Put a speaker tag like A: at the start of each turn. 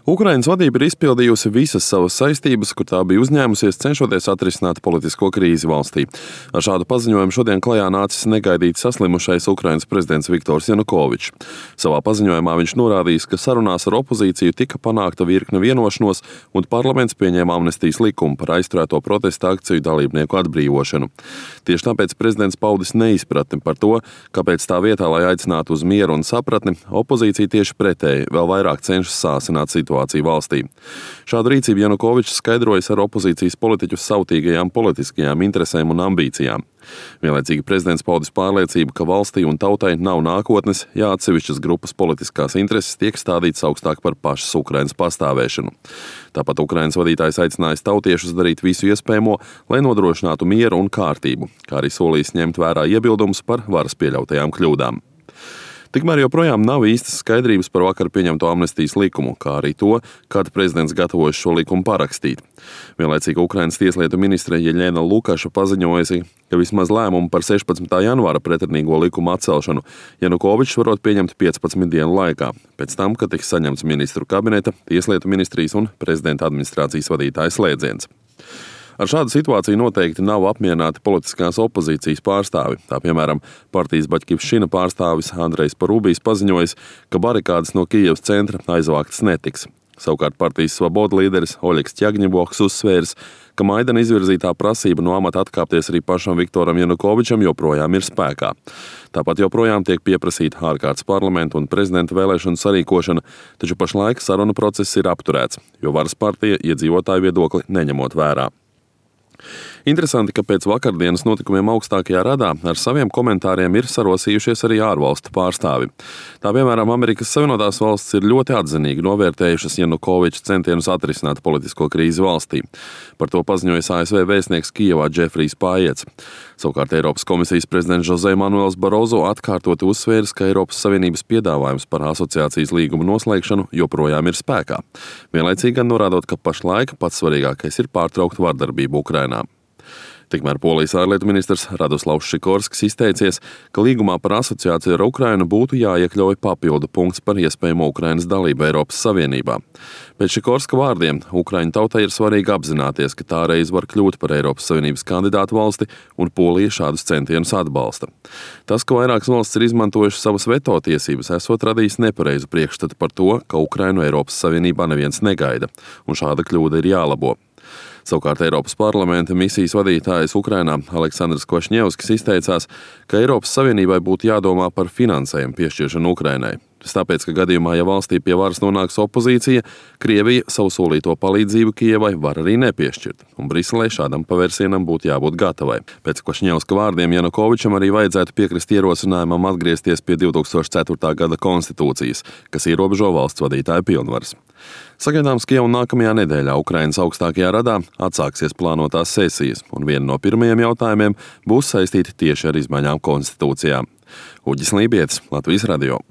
A: Ukrainas vadība ir izpildījusi visas savas saistības, kur tā bija uzņēmusies, cenšoties atrisināt politisko krīzi valstī. Ar šādu paziņojumu šodien klajā nācis negaidīti saslimušais Ukrainas prezidents Viktors Janukovičs. Savā paziņojumā viņš norādījis, ka sarunās ar opozīciju tika panākta virkne vienošanos un parlaments pieņēma amnestijas likumu par aizturēto protesta akciju dalībnieku atbrīvošanu. Tieši tāpēc prezidents paudis neizpratni par to, kāpēc tā vietā, lai aicinātu uz mieru un sapratni, opozīcija tieši pretēji vēl vairāk cenšas sāsināt situāciju valstī. Šādu rīcību Janukovičs skaidrojas ar opozīcijas politiķu sautīgajām politiskajām interesēm un ambīcijām. Vienlaicīgi prezidents paudis pārliecību, ka valstī un tautai nav nākotnes, ja atsevišķas grupas politiskās intereses tiek stādītas augstāk par pašas Ukrainas pastāvēšanu. Tāpat Ukrainas vadītājs aicinājis tautiešus darīt visu iespējamo, lai nodrošinātu mieru un kārtību, kā arī solījis ņemt vērā iebildumus par varas pieļautajām kļūdām. Tikmēr joprojām nav īstas skaidrības par vakar pieņemto amnestijas likumu, kā arī to, kad prezidents gatavojas šo likumu parakstīt. Vienlaicīgi Ukrainas tieslietu ministre Jeļena Lukaša paziņojusi, ka vismaz lēmumu par 16. janvāra pretrunīgo likumu atcelšanu Janukovičs varot pieņemt 15 dienu laikā, pēc tam, kad tiks saņemts ministru kabineta, tieslietu ministrijas un prezidenta administrācijas vadītāja slēdziens. Ar šādu situāciju noteikti nav apmierināti politiskās opozīcijas pārstāvi. Tā piemēram, partijas Baļķivšina pārstāvis Andrejs Parubijs paziņojis, ka barikādes no Kijevas centra aizvāktas netiks. Savukārt partijas Svaboda līderis Oļegs Ķagņeboks uzsvērs, ka Maidana izvirzītā prasība no amata atkāpties arī pašam Viktoram Janukovičam joprojām ir spēkā. Tāpat joprojām tiek pieprasīta ārkārtas parlamenta un prezidenta vēlēšanu sarīkošana, taču pašlaik sarunu process ir apturēts, jo varas partija iedzīvotāju viedokli neņemot vērā. Interesanti, ka pēc vakardienas notikumiem augstākajā radā ar saviem komentāriem ir sarosījušies arī ārvalstu pārstāvi. Tā piemēram, Amerikas Savienotās valstis ir ļoti atzinīgi novērtējušas Janukoviča centienus atrisināt politisko krīzi valstī. Par to paziņoja ASV vēstnieks Kijevā Džefrijs Pājets. Savukārt Eiropas komisijas prezidents Jose Manuels Barozo atkārtoti uzsvēris, ka Eiropas Savienības piedāvājums par asociācijas līgumu noslēgšanu joprojām ir spēkā. Vienlaicīgi gan norādot, ka pašlaik pats svarīgākais ir pārtraukt vardarbību Ukrainā. Tikmēr Polijas ārlietu ministrs Radoslavs Šikorskis izteicies, ka līgumā par asociāciju ar Ukrainu būtu jāiekļauj papildu punkts par iespējamo Ukrainas dalību Eiropas Savienībā. Pēc Šikorska vārdiem, Ukraiņu tautai ir svarīgi apzināties, ka tā reiz var kļūt par Eiropas Savienības kandidātu valsti, un Polija šādus centienus atbalsta. Tas, ka vairākas valstis ir izmantojušas savas veto tiesības, esot radījis nepareizu priekšstatu par to, ka Ukrainu Eiropas Savienībā neviens negaida, un šāda kļūda ir jālabo. Savukārt Eiropas parlamenta misijas vadītājs Ukrainā Aleksandrs Kvašņevskis izteicās, ka Eiropas Savienībai būtu jādomā par finansējumu piešķiršanu Ukrainai. Tas tāpēc, ka gadījumā, ja valstī pie varas nonāks opozīcija, Krievija savu solīto palīdzību Kijevai var arī nepiešķirt, un Briselei šādam pavērsienam būtu jābūt gatavai. Pēc Kvašņevska vārdiem Janukovičam arī vajadzētu piekrist ierosinājumam atgriezties pie 2004. gada konstitūcijas, kas ierobežo valsts vadītāja pilnvaras. Sagaidāms, ka jau nākamajā nedēļā Ukrainas augstākajā radā atsāksies plānotās sesijas, un viena no pirmajiem jautājumiem būs saistīta tieši ar izmaiņām konstitūcijā. Uģis Lībietis, Latvijas radio.